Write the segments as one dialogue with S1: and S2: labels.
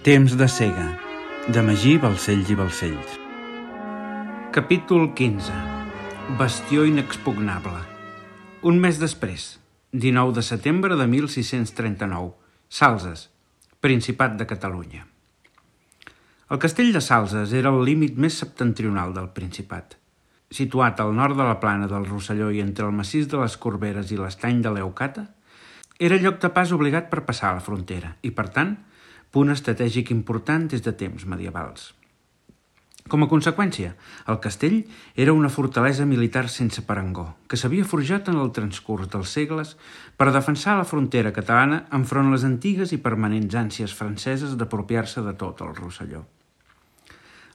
S1: Temps de cega, de Magí Balcells i Balcells. Capítol 15. Bastió inexpugnable. Un mes després, 19 de setembre de 1639, Salses, Principat de Catalunya. El castell de Salses era el límit més septentrional del Principat. Situat al nord de la plana del Rosselló i entre el massís de les Corberes i l'estany de Leucata, era lloc de pas obligat per passar a la frontera i, per tant, punt estratègic important des de temps medievals. Com a conseqüència, el castell era una fortalesa militar sense parangó, que s'havia forjat en el transcurs dels segles per defensar la frontera catalana enfront les antigues i permanents ànsies franceses d'apropiar-se de tot el Rosselló.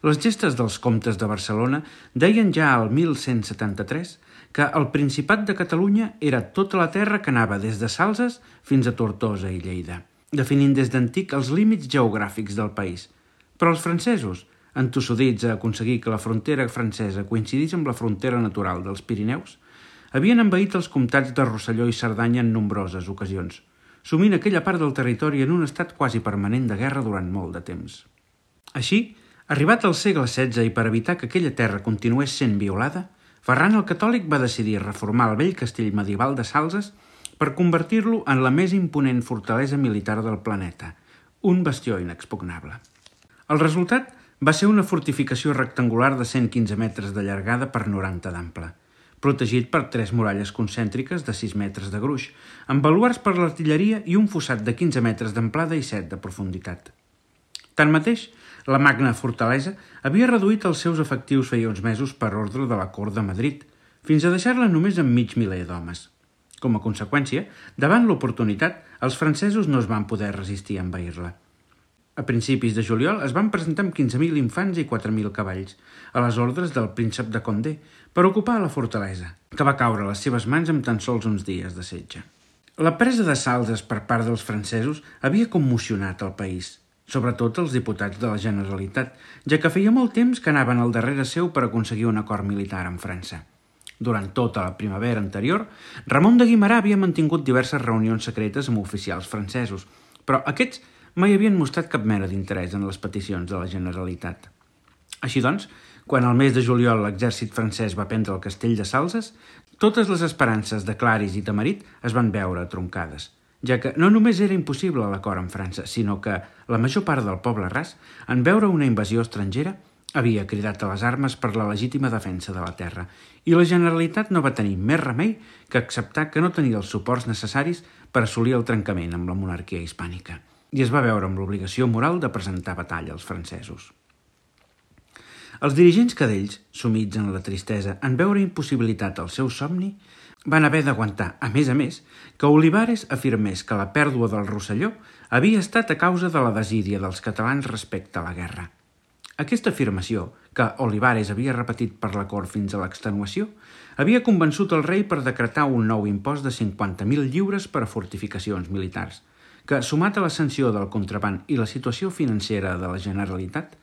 S1: Les gestes dels comtes de Barcelona deien ja al 1173 que el Principat de Catalunya era tota la terra que anava des de Salses fins a Tortosa i Lleida, definint des d'antic els límits geogràfics del país. Però els francesos, entossudits a aconseguir que la frontera francesa coincidís amb la frontera natural dels Pirineus, havien envaït els comtats de Rosselló i Cerdanya en nombroses ocasions, sumint aquella part del territori en un estat quasi permanent de guerra durant molt de temps. Així, arribat al segle XVI i per evitar que aquella terra continués sent violada, Ferran el Catòlic va decidir reformar el vell castell medieval de Salses per convertir-lo en la més imponent fortalesa militar del planeta, un bastió inexpugnable. El resultat va ser una fortificació rectangular de 115 metres de llargada per 90 d'ample, protegit per 3 muralles concèntriques de 6 metres de gruix, amb baluards per l'artilleria i un fossat de 15 metres d'amplada i 7 de profunditat. Tanmateix, la magna fortalesa havia reduït els seus efectius feia uns mesos per ordre de la cort de Madrid, fins a deixar-la només amb mig miler d'homes. Com a conseqüència, davant l'oportunitat, els francesos no es van poder resistir a envair-la. A principis de juliol es van presentar amb 15.000 infants i 4.000 cavalls, a les ordres del príncep de Condé, per ocupar la fortalesa, que va caure a les seves mans amb tan sols uns dies de setge. La presa de Salses per part dels francesos havia commocionat el país, sobretot els diputats de la Generalitat, ja que feia molt temps que anaven al darrere seu per aconseguir un acord militar amb França. Durant tota la primavera anterior, Ramon de Guimerà havia mantingut diverses reunions secretes amb oficials francesos, però aquests mai havien mostrat cap mena d'interès en les peticions de la Generalitat. Així doncs, quan al mes de juliol l'exèrcit francès va prendre el castell de Salses, totes les esperances de Claris i Tamarit es van veure troncades, ja que no només era impossible l'acord amb França, sinó que la major part del poble ras, en veure una invasió estrangera, havia cridat a les armes per la legítima defensa de la terra, i la Generalitat no va tenir més remei que acceptar que no tenia els suports necessaris per assolir el trencament amb la monarquia hispànica, i es va veure amb l'obligació moral de presentar batalla als francesos. Els dirigents cadells, sumits en la tristesa en veure impossibilitat el seu somni, van haver d'aguantar, a més, que Olivares afirmés que la pèrdua del Rosselló havia estat a causa de la desídia dels catalans respecte a la guerra. Aquesta afirmació, que Olivares havia repetit per la cort fins a l'extenuació, havia convençut el rei per decretar un nou impost de 50.000 lliures per a fortificacions militars, que, sumat a la sanció del contraban i la situació financera de la Generalitat,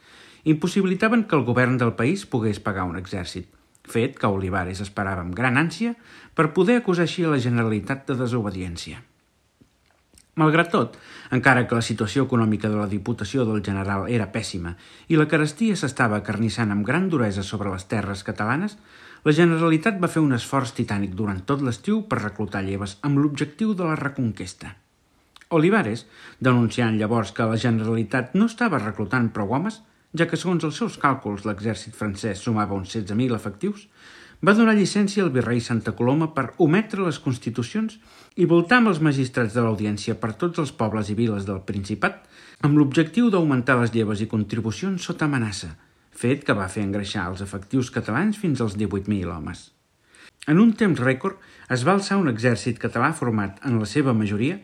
S1: impossibilitaven que el govern del país pogués pagar un exèrcit, fet que Olivares esperava amb gran ànsia per poder acusar així a la Generalitat de desobediència. Malgrat tot, encara que la situació econòmica de la Diputació del General era pèssima i la carestia s'estava acarnissant amb gran duresa sobre les terres catalanes, la Generalitat va fer un esforç titànic durant tot l'estiu per reclutar lleves amb l'objectiu de la reconquesta. Olivares, denunciant llavors que la Generalitat no estava reclutant prou homes, ja que segons els seus càlculs l'exèrcit francès sumava uns 16.000 efectius, va donar llicència al virrei Santa Coloma per ometre les constitucions i voltar amb els magistrats de l'audiència per tots els pobles i viles del Principat amb l'objectiu d'augmentar les lleves i contribucions sota amenaça, fet que va fer engreixar els efectius catalans fins als 18.000 homes. En un temps rècord es va alçar un exèrcit català format en la seva majoria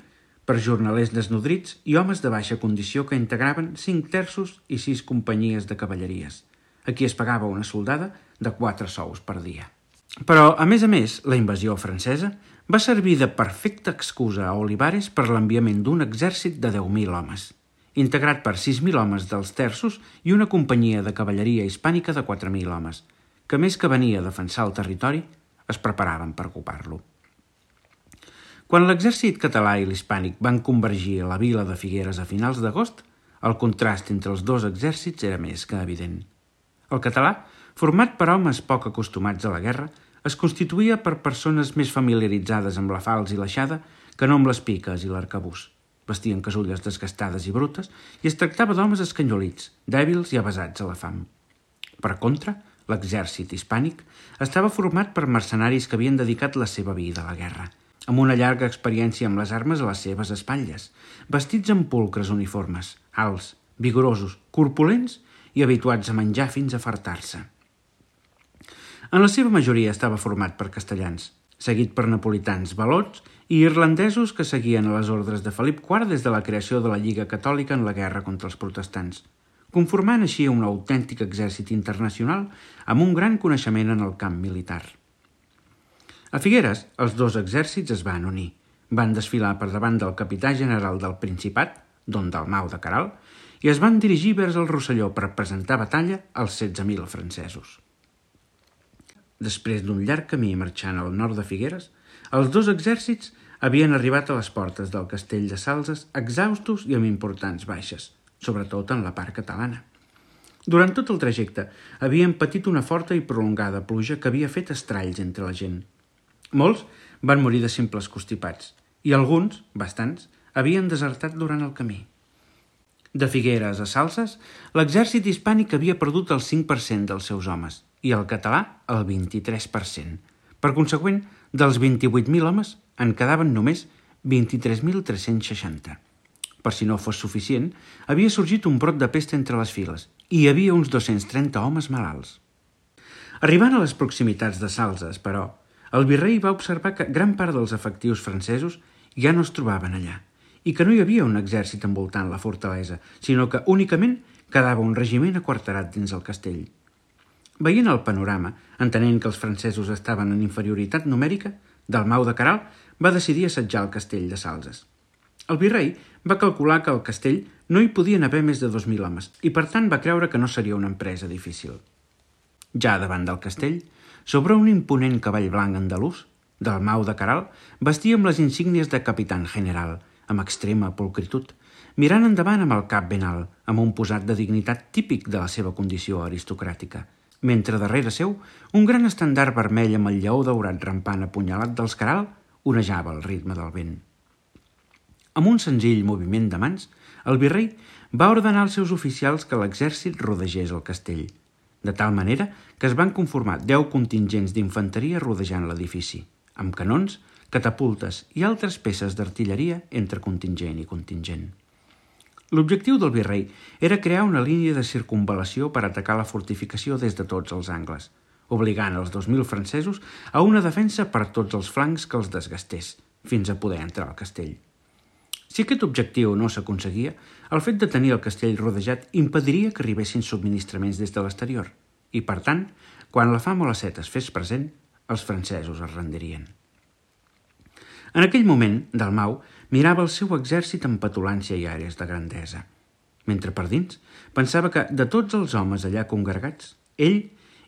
S1: per jornalers desnodrits i homes de baixa condició que integraven 5 terços i 6 companyies de cavalleries, a qui es pagava una soldada de 4 sous per dia. Però, a més, la invasió francesa va servir de perfecta excusa a Olivares per l'enviament d'un exèrcit de 10.000 homes, integrat per 6.000 homes dels terços i una companyia de cavalleria hispànica de 4.000 homes, que més que venir a defensar el territori, es preparaven per ocupar-lo. Quan l'exèrcit català i l'hispànic van convergir a la vila de Figueres a finals d'agost, El contrast entre els dos exèrcits era més que evident. El català, format per homes poc acostumats a la guerra, es constituïa per persones més familiaritzades amb la falç i l'aixada que no amb les piques i l'arcabús. Vestien casulles desgastades i brutes i es tractava d'homes escanyolits, dèbils i avesats a la fam. Per contra, l'exèrcit hispànic estava format per mercenaris que havien dedicat la seva vida a la guerra, amb una llarga experiència amb les armes a les seves espatlles, vestits amb pulcres uniformes, alts, vigorosos, corpulents i habituats a menjar fins a fartar-se. En la seva majoria estava format per castellans, seguit per napolitans valots i irlandesos que seguien a les ordres de Felip IV des de la creació de la Lliga Catòlica en la guerra contra els protestants, conformant així un autèntic exèrcit internacional amb un gran coneixement en el camp militar. A Figueres, els dos exèrcits es van unir. Van desfilar per davant del capità general del Principat, don Dalmau de Queralt, i es van dirigir vers el Rosselló per presentar batalla als 16.000 francesos. Després d'un llarg camí marxant al nord de Figueres, els dos exèrcits havien arribat a les portes del castell de Salses exhaustos i amb importants baixes, sobretot en la part catalana. Durant tot el trajecte havien patit una forta i prolongada pluja que havia fet estralls entre la gent. Molts van morir de simples constipats i alguns, bastants, havien desertat durant el camí. De Figueres a Salses, l'exèrcit hispànic havia perdut el 5% dels seus homes i el català el 23%. Per consegüent, dels 28.000 homes en quedaven només 23.360. Per si no fos suficient, havia sorgit un brot de pesta entre les files i hi havia uns 230 homes malalts. Arribant a les proximitats de Salses, però, el virrei va observar que gran part dels efectius francesos ja no es trobaven allà i que no hi havia un exèrcit envoltant la fortalesa, sinó que únicament quedava un regiment aquarterat dins el castell. Veient el panorama, entenent que els francesos estaven en inferioritat numèrica, Dalmau de Queralt va decidir assetjar el castell de Salses. El virrei va calcular que al castell no hi podien haver més de 2.000 homes i per tant va creure que no seria una empresa difícil. Ja davant del castell, sobre un imponent cavall blanc andalús, Dalmau de Queralt vestia amb les insígnies de capitán general, amb extrema pulcritud, mirant endavant amb el cap ben alt, amb un posat de dignitat típic de la seva condició aristocràtica, mentre darrere seu un gran estendard vermell amb el lleó daurat rampant apunyalat dels Queralt onejava al ritme del vent. Amb un senzill moviment de mans, el virrei va ordenar als seus oficials que l'exèrcit rodegés el castell, de tal manera que es van conformar 10 contingents d'infanteria rodejant l'edifici, amb canons, catapultes i altres peces d'artilleria entre contingent i contingent. L'objectiu del virrei era crear una línia de circunvalació per atacar la fortificació des de tots els angles, obligant els 2.000 francesos a una defensa per tots els flancs que els desgastés, fins a poder entrar al castell. Si aquest objectiu no s'aconseguia, el fet de tenir el castell rodejat impediria que arribessin subministraments des de l'exterior i, per tant, quan la fam o la set es fes present, els francesos es rendirien. En aquell moment, Dalmau mirava el seu exèrcit amb petulància i àrees de grandesa, mentre per dins pensava que, de tots els homes allà congregats, ell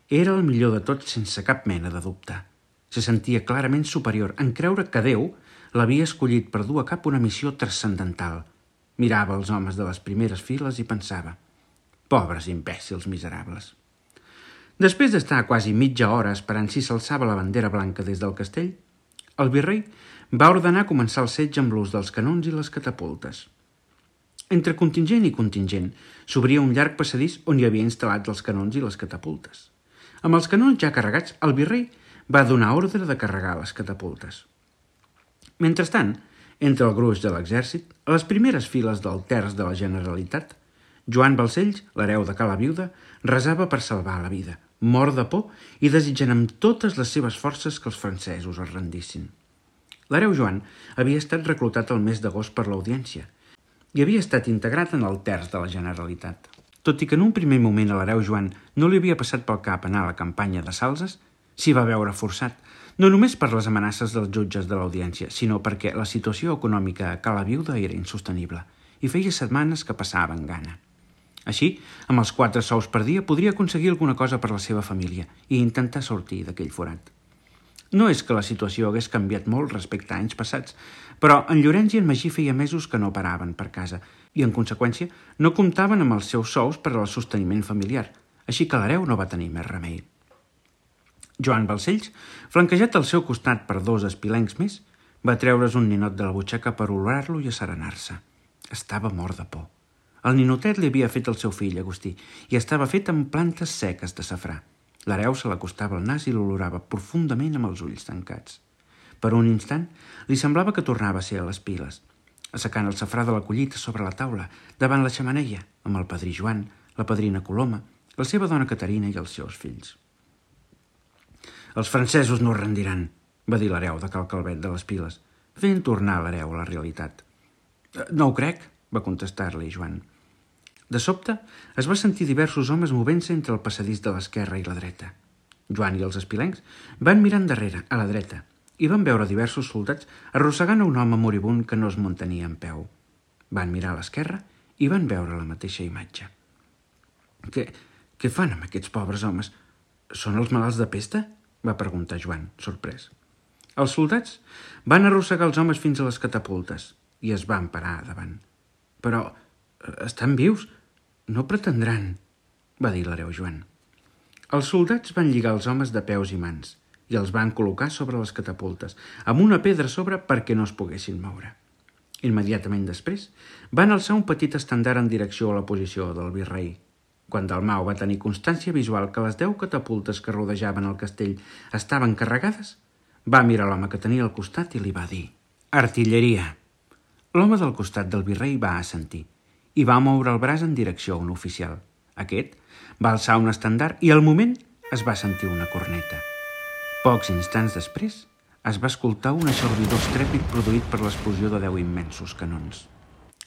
S1: era el millor de tots sense cap mena de dubte. Se sentia clarament superior en creure que Déu l'havia escollit per dur a cap una missió transcendental. Mirava els homes de les primeres files i pensava: pobres imbècils miserables. Després d'estar quasi mitja hora esperant si s'alçava la bandera blanca des del castell, el virrei va ordenar començar el setge amb l'ús dels canons i les catapultes. Entre contingent i contingent s'obria un llarg passadís on hi havia instal·lats els canons i les catapultes. Amb els canons ja carregats, el virrei va donar ordre de carregar les catapultes. Mentrestant, entre el gruix de l'exèrcit, a les primeres files del terç de la Generalitat, Joan Balcells, l'hereu de Cala Viuda, resava per salvar la vida, mort de por i desitjant amb totes les seves forces que els francesos es rendissin. L'hereu Joan havia estat reclutat el mes d'agost per l'Audiència i havia estat integrat en el terç de la Generalitat. Tot i que en un primer moment a l'hereu Joan no li havia passat pel cap anar a la campanya de Salses, s'hi va veure forçat, no només per les amenaces dels jutges de l'Audiència, sinó perquè la situació econòmica a Cala Viuda era insostenible i feia setmanes que passaven gana. Així, amb els 4 sous per dia podria aconseguir alguna cosa per la seva família i intentar sortir d'aquell forat. No és que la situació hagués canviat molt respecte a anys passats, però en Llorenç i en Magí feia mesos que no paraven per casa i, en conseqüència, no comptaven amb els seus sous per al sosteniment familiar, així que l'hereu no va tenir més remei. Joan Balcells, flanquejat al seu costat per 2 espilencs més, va treure's un ninot de la butxaca per olorar-lo i asserenar-se. Estava mort de por. El ninotet li havia fet el seu fill, Agustí, i estava fet amb plantes seques de safrà. L'hereu se l'acostava al nas i l'olorava profundament amb els ulls tancats. Per un instant li semblava que tornava a ser a les piles, assecant el safrà de la collita sobre la taula, davant la xemeneia, amb el padrí Joan, la padrina Coloma, la seva dona Caterina i els seus fills. «Els francesos no es rendiran», va dir l'hereu de Cal Calvet de les Piles, fent tornar l'hereu a la realitat. «No ho crec», va contestar-li Joan. De sobte, es va sentir diversos homes movent-se entre el passadís de l'esquerra i la dreta. Joan i els espilencs van mirar endarrere, a la dreta, i van veure diversos soldats arrossegant a un home moribund que no es mantenia en peu. Van mirar a l'esquerra i van veure la mateixa imatge. Què fan amb aquests pobres homes? Són els malalts de pesta? Va preguntar Joan, sorprès. Els soldats van arrossegar els homes fins a les catapultes i es van parar davant. Però estan vius? No pretendran, va dir l'hereu Joan. Els soldats van lligar els homes de peus i mans i els van col·locar sobre les catapultes, amb una pedra a sobre perquè no es poguessin moure. Immediatament després, van alçar un petit estendard en direcció a la posició del virrei. Quan Dalmau va tenir constància visual que les 10 catapultes que rodejaven el castell estaven carregades, va mirar l'home que tenia al costat i li va dir: «Artilleria». L'home del costat del virrei va assentir i va moure el braç en direcció a un oficial. Aquest va alçar un estendard i al moment es va sentir una corneta. Pocs instants després es va escoltar un eixordador estrèpit produït per l'explosió de 10 immensos canons.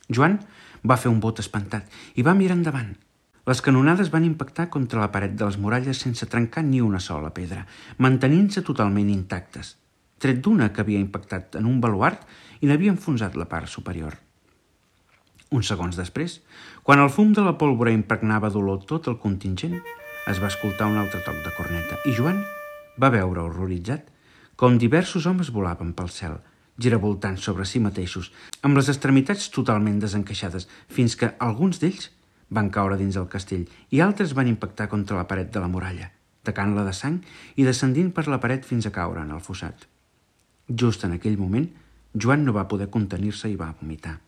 S1: Joan va fer un bot espantat i va mirar endavant. Les canonades van impactar contra la paret de les muralles sense trencar ni una sola pedra, mantenint-se totalment intactes, tret d'una que havia impactat en un baluard i n'havia enfonsat la part superior. Uns segons després, quan el fum de la pólvora impregnava d'olor tot el contingent, es va escoltar un altre toc de corneta i Joan va veure horroritzat com diversos homes volaven pel cel, giravoltant sobre si mateixos, amb les extremitats totalment desencaixades, fins que alguns d'ells van caure dins el castell i altres van impactar contra la paret de la muralla, tacant-la de sang i descendint per la paret fins a caure en el fossat. Just en aquell moment, Joan no va poder contenir-se i va vomitar.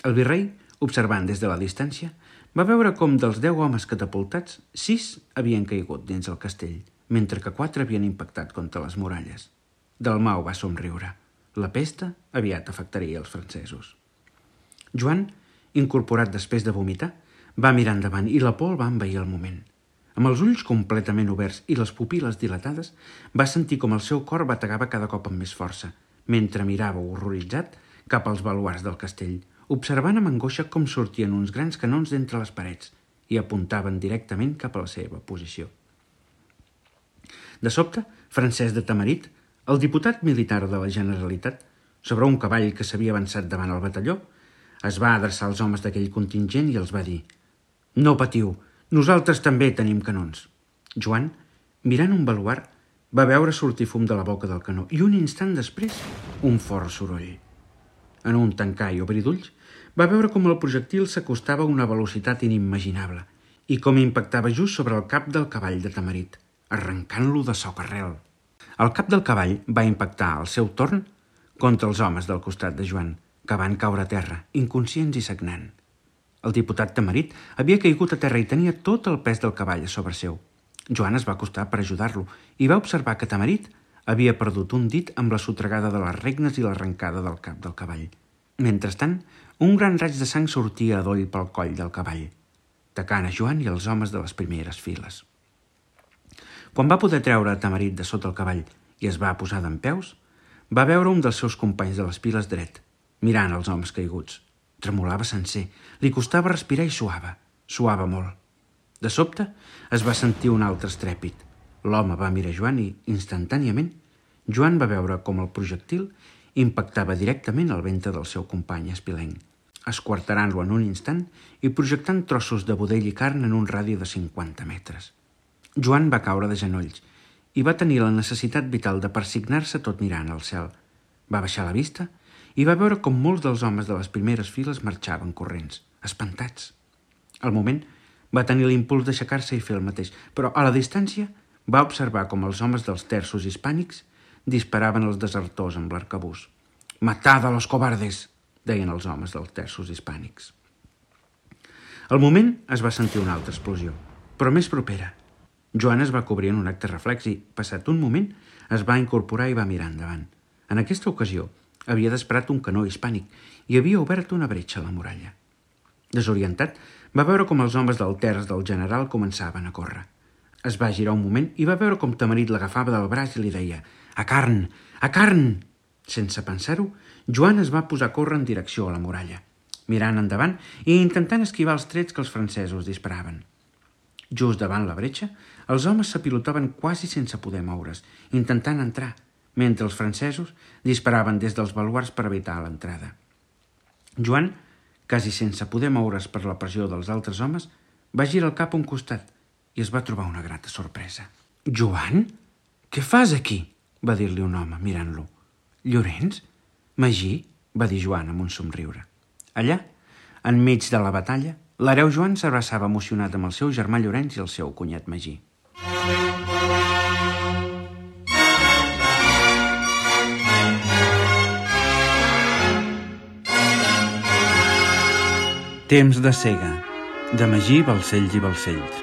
S1: El virrei, observant des de la distància, va veure com dels 10 homes catapultats, 6 havien caigut dins el castell, mentre que 4 havien impactat contra les muralles. Dalmau va somriure. La pesta aviat afectaria els francesos. Joan, incorporat després de vomitar, va mirar endavant i la por el va envair al moment. Amb els ulls completament oberts i les pupil·les dilatades, va sentir com el seu cor bategava cada cop amb més força, mentre mirava horroritzat cap als baluards del castell, observant amb angoixa com sortien uns grans canons d'entre les parets i apuntaven directament cap a la seva posició. De sobte, Francesc de Tamarit, el diputat militar de la Generalitat, sobre un cavall que s'havia avançat davant el batalló, es va adreçar als homes d'aquell contingent i els va dir: «No patiu, nosaltres també tenim canons». Joan, mirant un baluard, va veure sortir fum de la boca del canó i un instant després un fort soroll. En un tancar i obrir d'ulls, va veure com el projectil s'acostava a una velocitat inimaginable i com impactava just sobre el cap del cavall de Tamarit, arrencant-lo de socarrel. El cap del cavall va impactar al seu torn contra els homes del costat de Joan, que van caure a terra, inconscients i sagnant. El diputat Tamarit havia caigut a terra i tenia tot el pes del cavall a sobre seu. Joan es va acostar per ajudar-lo i va observar que Tamarit havia perdut un dit amb la sotregada de les regnes i l'arrencada del cap del cavall. Mentrestant, un gran raig de sang sortia a doll pel coll del cavall, tacant a Joan i els homes de les primeres files. Quan va poder treure a Tamarit de sota el cavall i es va posar dempeus, va veure un dels seus companys de les piles dret, mirant els homes caiguts. Tremolava sencer, li costava respirar i suava molt. De sobte es va sentir un altre estrèpit. L'home va mirar Joan i, instantàniament, Joan va veure com el projectil impactava directament al ventre del seu company espilenc, esquarterant-lo en un instant i projectant trossos de budell i carn en un radi de 50 metres. Joan va caure de genolls i va tenir la necessitat vital de persignar-se tot mirant al cel. Va baixar la vista i va veure com molts dels homes de les primeres files marxaven corrents, espantats. Al moment, va tenir l'impuls d'aixecar-se i fer el mateix, però a la distància va observar com els homes dels terços hispànics disparaven els desertors amb l'arcabús. «Matad a los cobardes!», deien els homes dels terços hispànics. Al moment es va sentir una altra explosió, però més propera. Joan es va cobrir en un acte reflex i, passat un moment, es va incorporar i va mirar endavant. En aquesta ocasió, havia disparat un canó hispànic i havia obert una bretxa a la muralla. Desorientat, va veure com els homes del terç del general començaven a córrer. Es va girar un moment i va veure com Tamarit l'agafava del braç i li deia «A carn! A carn!». Sense pensar-ho, Joan es va posar a córrer en direcció a la muralla, mirant endavant i intentant esquivar els trets que els francesos disparaven. Just davant la bretxa, els homes s'apilotaven quasi sense poder moure's, intentant entrar, mentre els francesos disparaven des dels baluards per evitar l'entrada. Joan, quasi sense poder moure's per la pressió dels altres homes, va girar el cap a un costat i es va trobar una grata sorpresa. «Joan? Què fas aquí?», va dir-li un home, mirant-lo. «Llorenç? Magí?», va dir Joan amb un somriure. Allà, enmig de la batalla, l'hereu Joan s'abraçava emocionat amb el seu germà Llorenç i el seu cunyat Magí. Temps de cega, de Magí Balcells i Balcells.